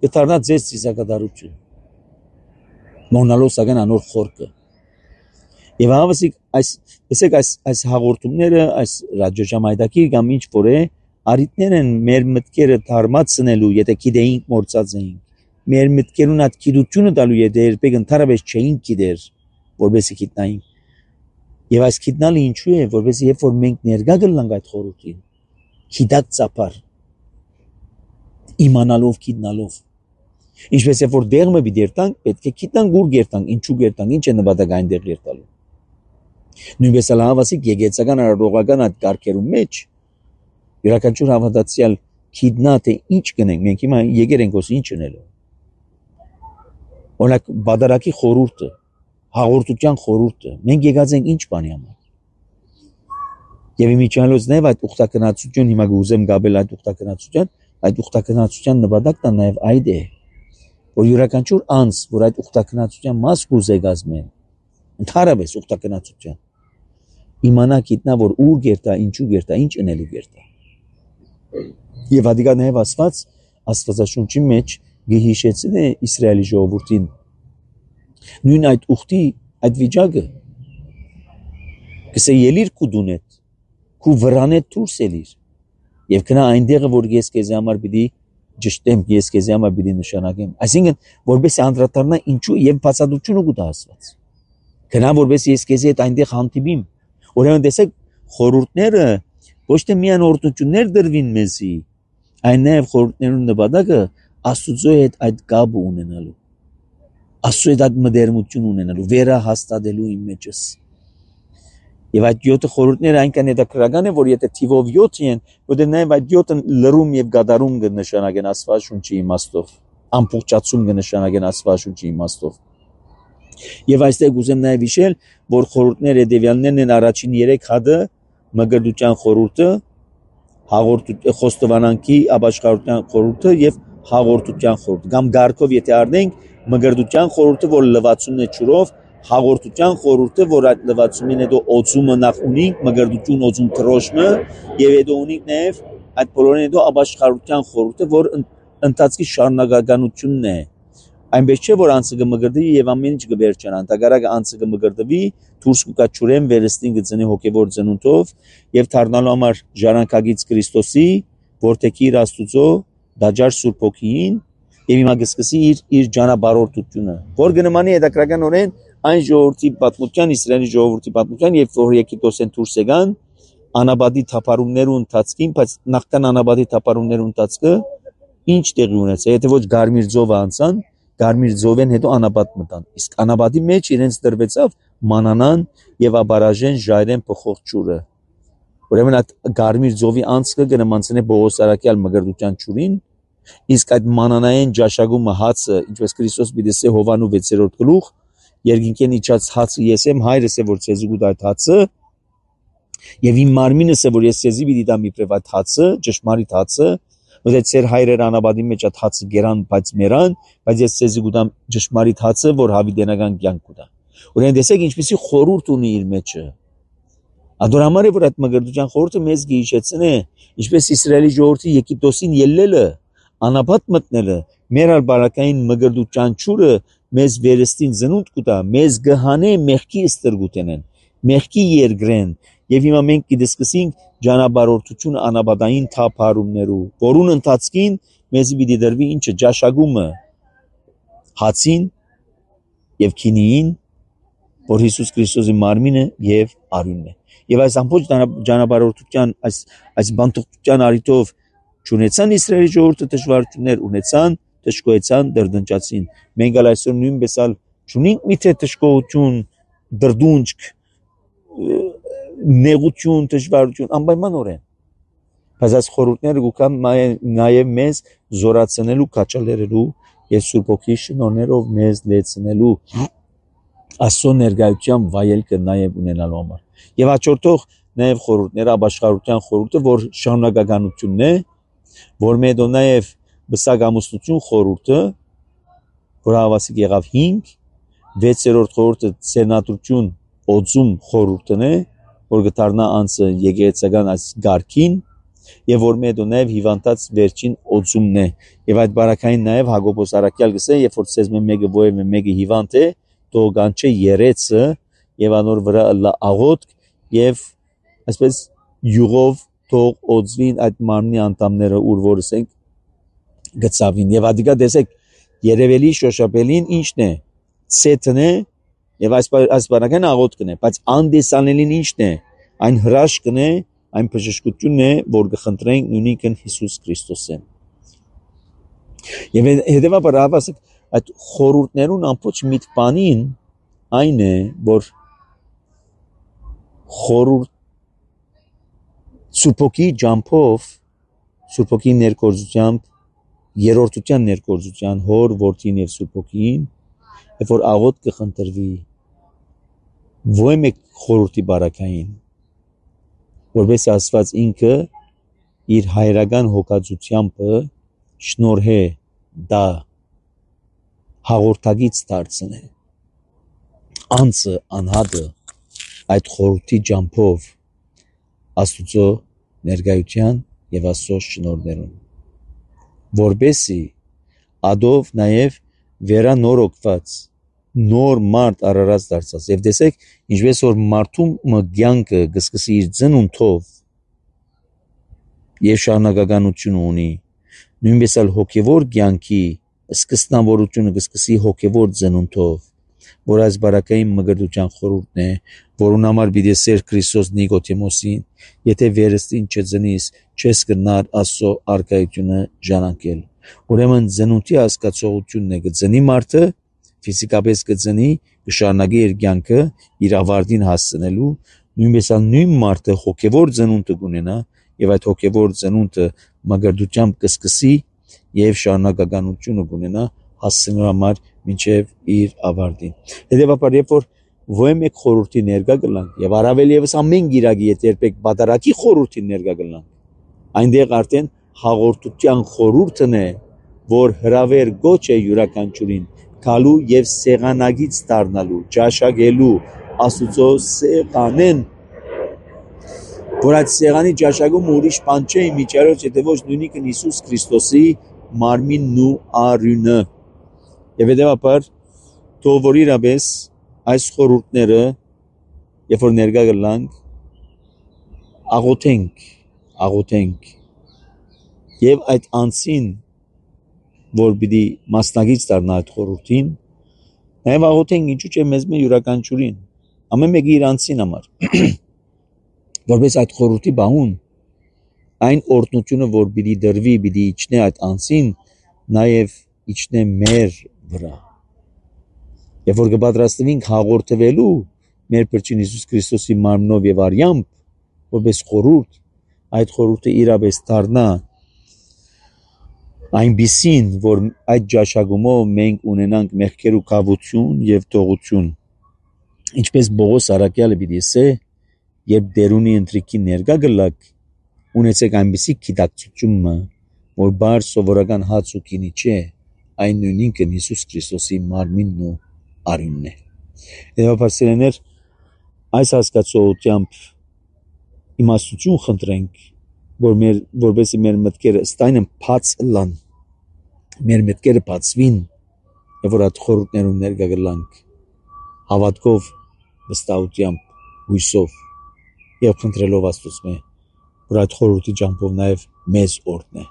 A: կդառնա ձեզ սիսակատարություն։ Մոնալոս ագան անոր խորքը։ Եվ հավասիկ այս հաղորդումները, այս ռադիոժամայդակի կամ ինչ որ է, արիտներ են մեր մտքերը թարմացնելու, եթե գիտեինք մորցած էինք։ Մեր մտքերուն այդ գիտությունը տալու եթե երբեք ընդհանրապես չէինք գիտեր, որովհետեւ գիտնային։ Եվ այս գիտնալը ինչու է, որովհետեւ երբ որ մենք ներկա գնանք այդ խորհրդին, գիտակ ծափար, իմանալով գիտնալով, ինչպես երբ որ դեղը մի դերտանք, պետք է գիտնանք ուր գերտանք, ինչու գերտանք, ինչ է նպատակը այնտեղ գերտալու։ Նույնպես էլ հավասիկ եկեղեցական արարողական այդ կարգերում մեջ յուրաքանչյուր հավատացյալ գիտնա թե ինչ կնենք, մենք հիմա եկեր ենք ոս ինչ ունելու։ Օրինակ բادرակի խորհուրդը, հաղորդության խորհուրդը, մենք եկած ենք ինչ բանի համար։ Եվ իմիջիալոց նաև այդ ուխտակնացություն հիմա գուզեմ գաբել այդ ուխտակնացության նպատակն նաև այդ է, որ յուրաքանչյուր անձ, որ այդ ուխտակնացության մաս գուզե գազմեն, ընդհանրապես ուխտակնացության, իմանա գիտնա, որ ուր գերտա, ինչու գերտա, ինչ ընելու գերտա։ Եվ ադիգա նաև աստվածաշունչի մեջ գհիշեցին է Իսրայելի ժողովրդին նույն այդ ուխտի այդ վիճակը կսե ելիր կուդունետ քու վրանետ դուրս ելիր եւ կնա այնտեղը որ ես քեզ համար պիտի ճշտեմ ես քեզ համար պիտի նշանակեմ այսինքն որպես անդրադառնա ինչու եւ բացատրությունը կուտա ասված կնա որպես ես քեզ հետ այնտեղ հանդիպիմ ուրեմն տեսեք խորհուրդները ոչ թե միայն օրդություններ դրվին մեզի այն նաեւ խորհուրդներուն նպատակը Աստծո հետ այդ կապը ունենալու Աստծո հետ այդ մտերմություն ունենալու վերահաստատելու իմ մեջս եւ այդ 7 խորհուրդները այնքան հետաքրքրական են որ եթե թիվով 7 են որտեղ նաեւ այդ 7-ը լրում եւ գադարում կնշանակեն Աստվածաշունչի իմաստով ամբողջացում կնշանակեն Աստվածաշունչի իմաստով եւ այստեղ ուզեմ նաեւ հիշել որ խորհուրդները հետեւյալներն են առաջին 3 հատը մգրդության խորհուրդը հաղորդության խոստովանանքի ապաշխարության խորհուրդը եւ հաղորդության խորհուրդ կամ գարկով եթե առնենք մգրդության խորհուրդը որ լվացումն է ջուրով հաղորդության խորհուրդը որ այդ լվացումին հետո օծումը նախ ունենք մգրդություն օծում տրոշմը եւ հետո ունենք նաեւ այդ բոլորին հետո ապաշխարության խորհուրդը որ ընթացքի շարունակականությունն է այնպես չէ որ անցը կմգրդվի եւ ամեն ինչ կվերջանա ընդհանրապես անցը կմգրդվի դուրս կգա ճուրեն վերստին կծնի հոգեվոր ծնունդով եւ դառնալու համար ժառանգագից Քրիստոսի որտեղի իր Աստուծո դաջար Սուրբ Հոգին եւ հիմա կսկսի իր ճանապարհորդությունը որ կնմանի հետաքրքրականորեն այն ժողովրդի պատմության Իսրայելի ժողովրդի պատմության եւ որ Եգիպտոսեն դուրս եկան անաբադի թափարումներու ընթացքին բայց նախքան անաբադի թափարումներու ընթացքը ինչ տեղի ունեցավ եթե ոչ Գարմիր ծովը անցան Գարմիր ծովեն հետո անաբադ մտան իսկ անաբադի մեջ իրենց դրվեցավ մանանան եւ աբարաժեն ժայրեն փոխող ջուրը։ Ուրեմն այդ Գարմիր ծովի անցքը կնմանցնե Պողոս Արաքյալ մգրդության ջուրին, իսկ այդ մանանային ճաշակումը հացը, ինչպես Քրիստոս պիտի Հովանու 6-րդ գլուխ, երկինքեն իջած հացը ես եմ, հայրս է որ ցեզի գուտ այդ հացը, եւ իմ մարմինս է որ ես ցեզի պիտի տամ իբրև այդ հացը, ճշմարիտ հացը, որ ծեր հայրեր անաբադի մեջ այդ հացը գերան, բայց մերան, բայց ես ցեզի գուտամ ճշմարիտ հացը, որ հավիտենական կյանք կուտա։ Ուրեմն տեսեք ինչպեսի խորհուրդ ունի իր մեջը։ Ադոր համար է որ այդ մգրդության խորհուրդը մեզ գիհիշեցնե, ինչպես Իսրայելի ժողովրդի Եգիպտոսին ելնելը, անապատ մտնելը, մեր բարակային մգրդության ճուրը մեզ վերստին զնունդ կուտա, մեզ գհանե մեղքի ստրգուտենեն, մեղքի երգրեն, եւ հիմա մենք կդիսկսենք ջանաբարորդություն անաբադային թափարումներու, որուն ընթացքին մեզ պիտի դրվի ինչը ճաշակումը հացին եւ քինիին, որ Հիսուս Քրիստոսի մարմինը եւ արյունն է։ Եվ այս ամբողջ ջանաբարորդության այս բանտության արիտով չունեցան Իսրայելի ժողովուրդը դժվարություններ, ունեցան, դժկոյեցան, դրդնճացին։ Մենք այսօր նույնպես չունենք միթե դժկոյություն, դրդունջ, նեղություն, դժվարություն, անպայմանորեն։ Բայց այս խորհուրդները գուքան նաև մեզ զորացնելու, կաչալերելու եւ Սուրբ Օքի շնորհներով մեզ լեցնելու Աստծո ներկայության վայելքը նաև ունենալու համար։ Եվ հաջորդող նաև խորհուրդները, ապաշխարության խորհուրդը, որ շարունակականությունն է, որ մեդո նաև բսակամուսնություն խորհուրդը, որ հավասիկ եղավ 5, 6-րդ խորհուրդը ցենատրություն օծում խորհուրդն է, որ գտարնա անցը եկեղեցական այս գարքին, եւ որ մեդո նաև հիվանդած վերջին օծումն է։ Եվ այդ բարակային նաև Հակոբոս Արաքյալ գսե, երբ որ ցեզ մեկը ովը մեկը հիվանդ է, դողանչե երեցը եւ անոր վրա լա աղոտ եւ այսպես յուղով թող օծվին այդ մարմնի անդամները ուր որս ենք գծավին եւ ադիկա տեսեք երևելի շոշափելին ինչն է ցեթն է եւ այս բանական աղոտքն է բայց անդեսանելին ինչն է այն հրաշքն է այն բժշկությունն է որ կխնդրենք նույնիկն Հիսուս Քրիստոսեն եւ հետեւաբար հավասիկ այդ խորհուրդներուն ամբողջ միտքանին այն է որ խորհուրդ Սուրբոքի ջամփով Սուրբոքի ներկորձությամբ երրորդության ներկորձության հոր որդին եւ Սուրբոքին երբ որ աղոտ կխնդրվի ո՞յ մեկ խորհրդի բարակային որպես Աստված ինքը իր հայրական հոգացությամբ շնորհե դա հաղորդագից դարձնե անցը անհատը այդ խորհրդի ջամփով Աստուծո ներկայության եւ Աստծո շնորհներուն որբեսի ադով նաեւ վերանորոգված նոր մարդ արարած դարձած եւ տեսեք ինչպես որ մարդու մգյանքը գսկսի իր ծնունդով եւ շարունակականություն ունի նույնպես էլ հոգեվոր կյանքի սկզբնավորությունը գսկսի հոգեվոր ծնունդով որ այս բարակային մգրդության խորհուրդն է որուն համար պիտի սեր Քրիստոս Նիկոդեմոսին եթե վերստին չծնիս չես կնար Աստծո արկայությունը ժանանքել ուրեմն ծնունդի հասկացողությունն է գծնի մարդը ֆիզիկապես գծնի կշարունակի իր կյանքը իր ավարտին հասցնելու նույնպես էլ նույն մարդը հոգեվոր ծնունդ կունենա եւ այդ հոգեվոր ծնունդը մգրդությամբ կսկսի եւ շարունակականությունը կունենա հասցնելու համար մինչև իր ավարտին հետեւաբար երբ որ ո՞յ մեկ խորհրդի ներկա կլանք եւ առավել եւս ամեն գիրակի եթե երբեք բادرակի խորհրդի ներկա կլանք այնտեղ արդեն հաղորդության խորհուրդն է որ հրավեր գոչ է յուրաքանչյուրին գալու եւ սեղանագից դառնալու ճաշակելու Աստուծո սեղանեն որ այդ սեղանի ճաշակումը ուրիշ բան չէ միջարոց եթե ոչ նույնիկն Հիսուս Քրիստոսի մարմինն ու արյունը եւ հետեւաբար թող որ իրապես այս խորհուրդները երբ որ ներկա գլանք աղոթենք եւ այդ անցին որ պիտի մասնագից դառնա այդ խորհրդին նաեւ աղոթենք ինչու՞ չէ մեզ մե յուրաքանչյուրին ամեն մեկի իր անցին համար որպես այդ խորհրդի բահուն այն օրհնությունը որ պիտի դրվի պիտի իջնե այդ անցին նաեւ իջնե մեր վրա եւ որ կպատրաստվենք հաղորդվելու մեր Փրկին Հիսուս Քրիստոսի մարմնով եւ արյամբ, որպես խորհուրդ, այդ խորհուրդը իրապես դառնա այնպիսին, որ այդ ճաշակումով մենք ունենանք մեղքերու կավություն եւ թողություն։ Ինչպես Բողոս Արաքյալը պիտի ասե, երբ դերունի ընտրիկի ներկա գլակ, ունեցեք այնպիսի գիտակցությունը, որ բար սովորական հաց ու գինի չէ, այն նույնինքը Հիսուս Քրիստոսի մարմինն ու արյունն է։ Եվապարսերեներ, այս հասկացողությամբ իմաստություն խնդրենք, որպեսզի մեր մտքերը ստայնն բաց լան, մեր մտքերը բացվին, եւ որ այդ խորհուրդներում ներկա գլանք հավատքով, վստահությամբ, հույսով եւ խնդրելով Աստծո, որ այդ խորհրդի ճամփով նաեւ մեզ օրհնե,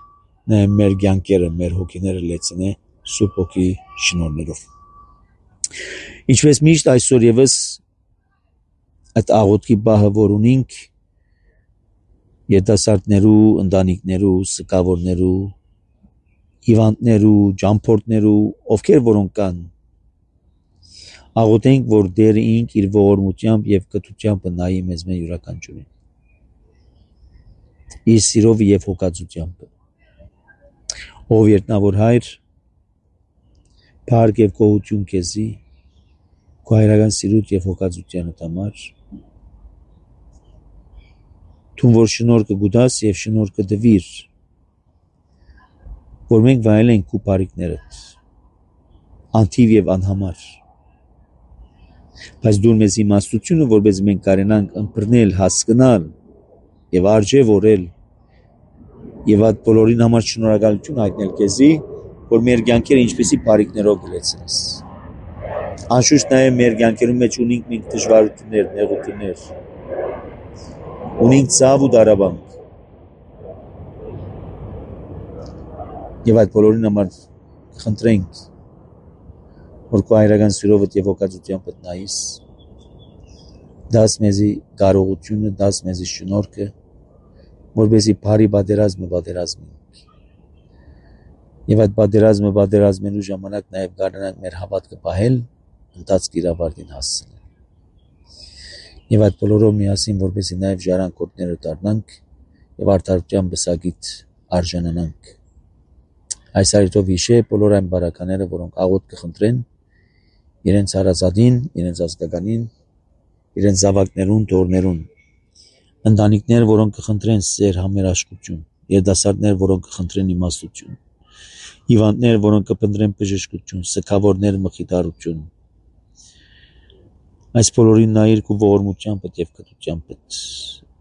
A: նաեւ մեր կյանքերը, մեր հոգիները լեցնե Սուրբ Հոգի շնորհներով։ Ինչպես միշտ այսօր եւս այդ աղոթքի բահը որ ունենք երիտասարդներու, ընտանիքներու, սկավորներու, հիվանդներու, ճամփորդներու, ովքեր որոնք կան, աղոթենք, որ Տերը ինք իր ողորմությամբ եւ կտությամբ նայի մեզ յուրաքանչյուրին։ Իր սիրով եւ հոգածությամբ։ Ով երտնավոր Հայր, փառք եւ գոհություն քեզի, քո հայրական սիրուտ եւ հոգածությանդ համար։ Թուն որ շնորհքը գուտաս եւ շնորհքը դվիր, որ մենք վայելենք քո բարիքներդ, անթիվ եւ անհամար։ Բայց դու մեզ իմաստությունը, որպես մենք կարենանք ըմբռնել, հասկանալ եւ արժեվորել եւ այդ բոլորին համար շնորհակալություն հայտնել քեզի, որ մեր կյանքերը ինչպեսի բարիքներով գլեցնես։ Անշուշտ նաեւ մեր կյանքերում մեջ ունենք մենք դժվարություններ, նեղություններ, ունենք ցավ ու դարաբանք։ Եվ այդ բոլորին համար խնդրենք, որ քո հայրական սիրովդ եւ հոգածությամբ նայես, դաս մեզի կարողությունը, դաս մեզի շնորհքը, որպեսզի բարի պատերազմենք։ Եվ այդ պատերազմելու ժամանակ նաեւ կարողանանք մեր հավատքը պահել, ընթացք իր ավարտին հասցնել։ Եվ այդ բոլորով միասին, որպեսզի նաեւ ժառանգորդները դառնանք եւ արդարության բսակիթ արժանանանք։ Այս այրտով հիշե բոլոր այն բարակաները, որոնք աղոթք կխնդրեն իրենց հարազատին, իրենց ազգականին, իրենց զավակներուն, թորներուն, ընտանիքներ, որոնք կխնդրեն սեր, համերաշխություն, երիտասարդներ, որոնք կխնդրեն իմաստություն, հիվանդներ, որոնք կփնտրեն բժշկություն, սգավորներ մխիթարություն։ Այս բոլորին նայիր քո ողորմությամբ եւ կտությամբ,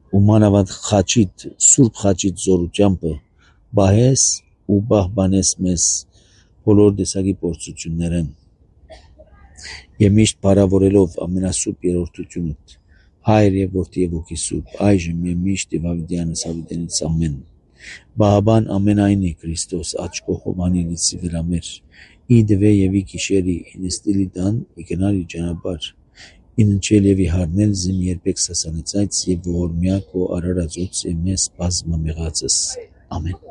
A: ու մանավանդ խաչիդ, սուրբ խաչիդ զորությամբ բահես ու բահբանես մեզ բոլոր տեսակի փորձություններն եւ միշտ բարավորելով ամենասուրբ երրորդությունդ Հայր եւ Որդի եւ Հոգի Սուրբ այժմ եւ միշտ եւ ավիդյանս ավիդենից ամեն բահաբան ամենայնի Քրիստոս աչք կողովանի լիցի վրամեր իդվե եւ իքիշերի ինստիլի դան իգնալի ճանապարհ ինչել եւ իհարնել զին երբեք սասանեցած եւ ողորմյա քո արարածոց եւ մեզ բազմամեղածս ամեն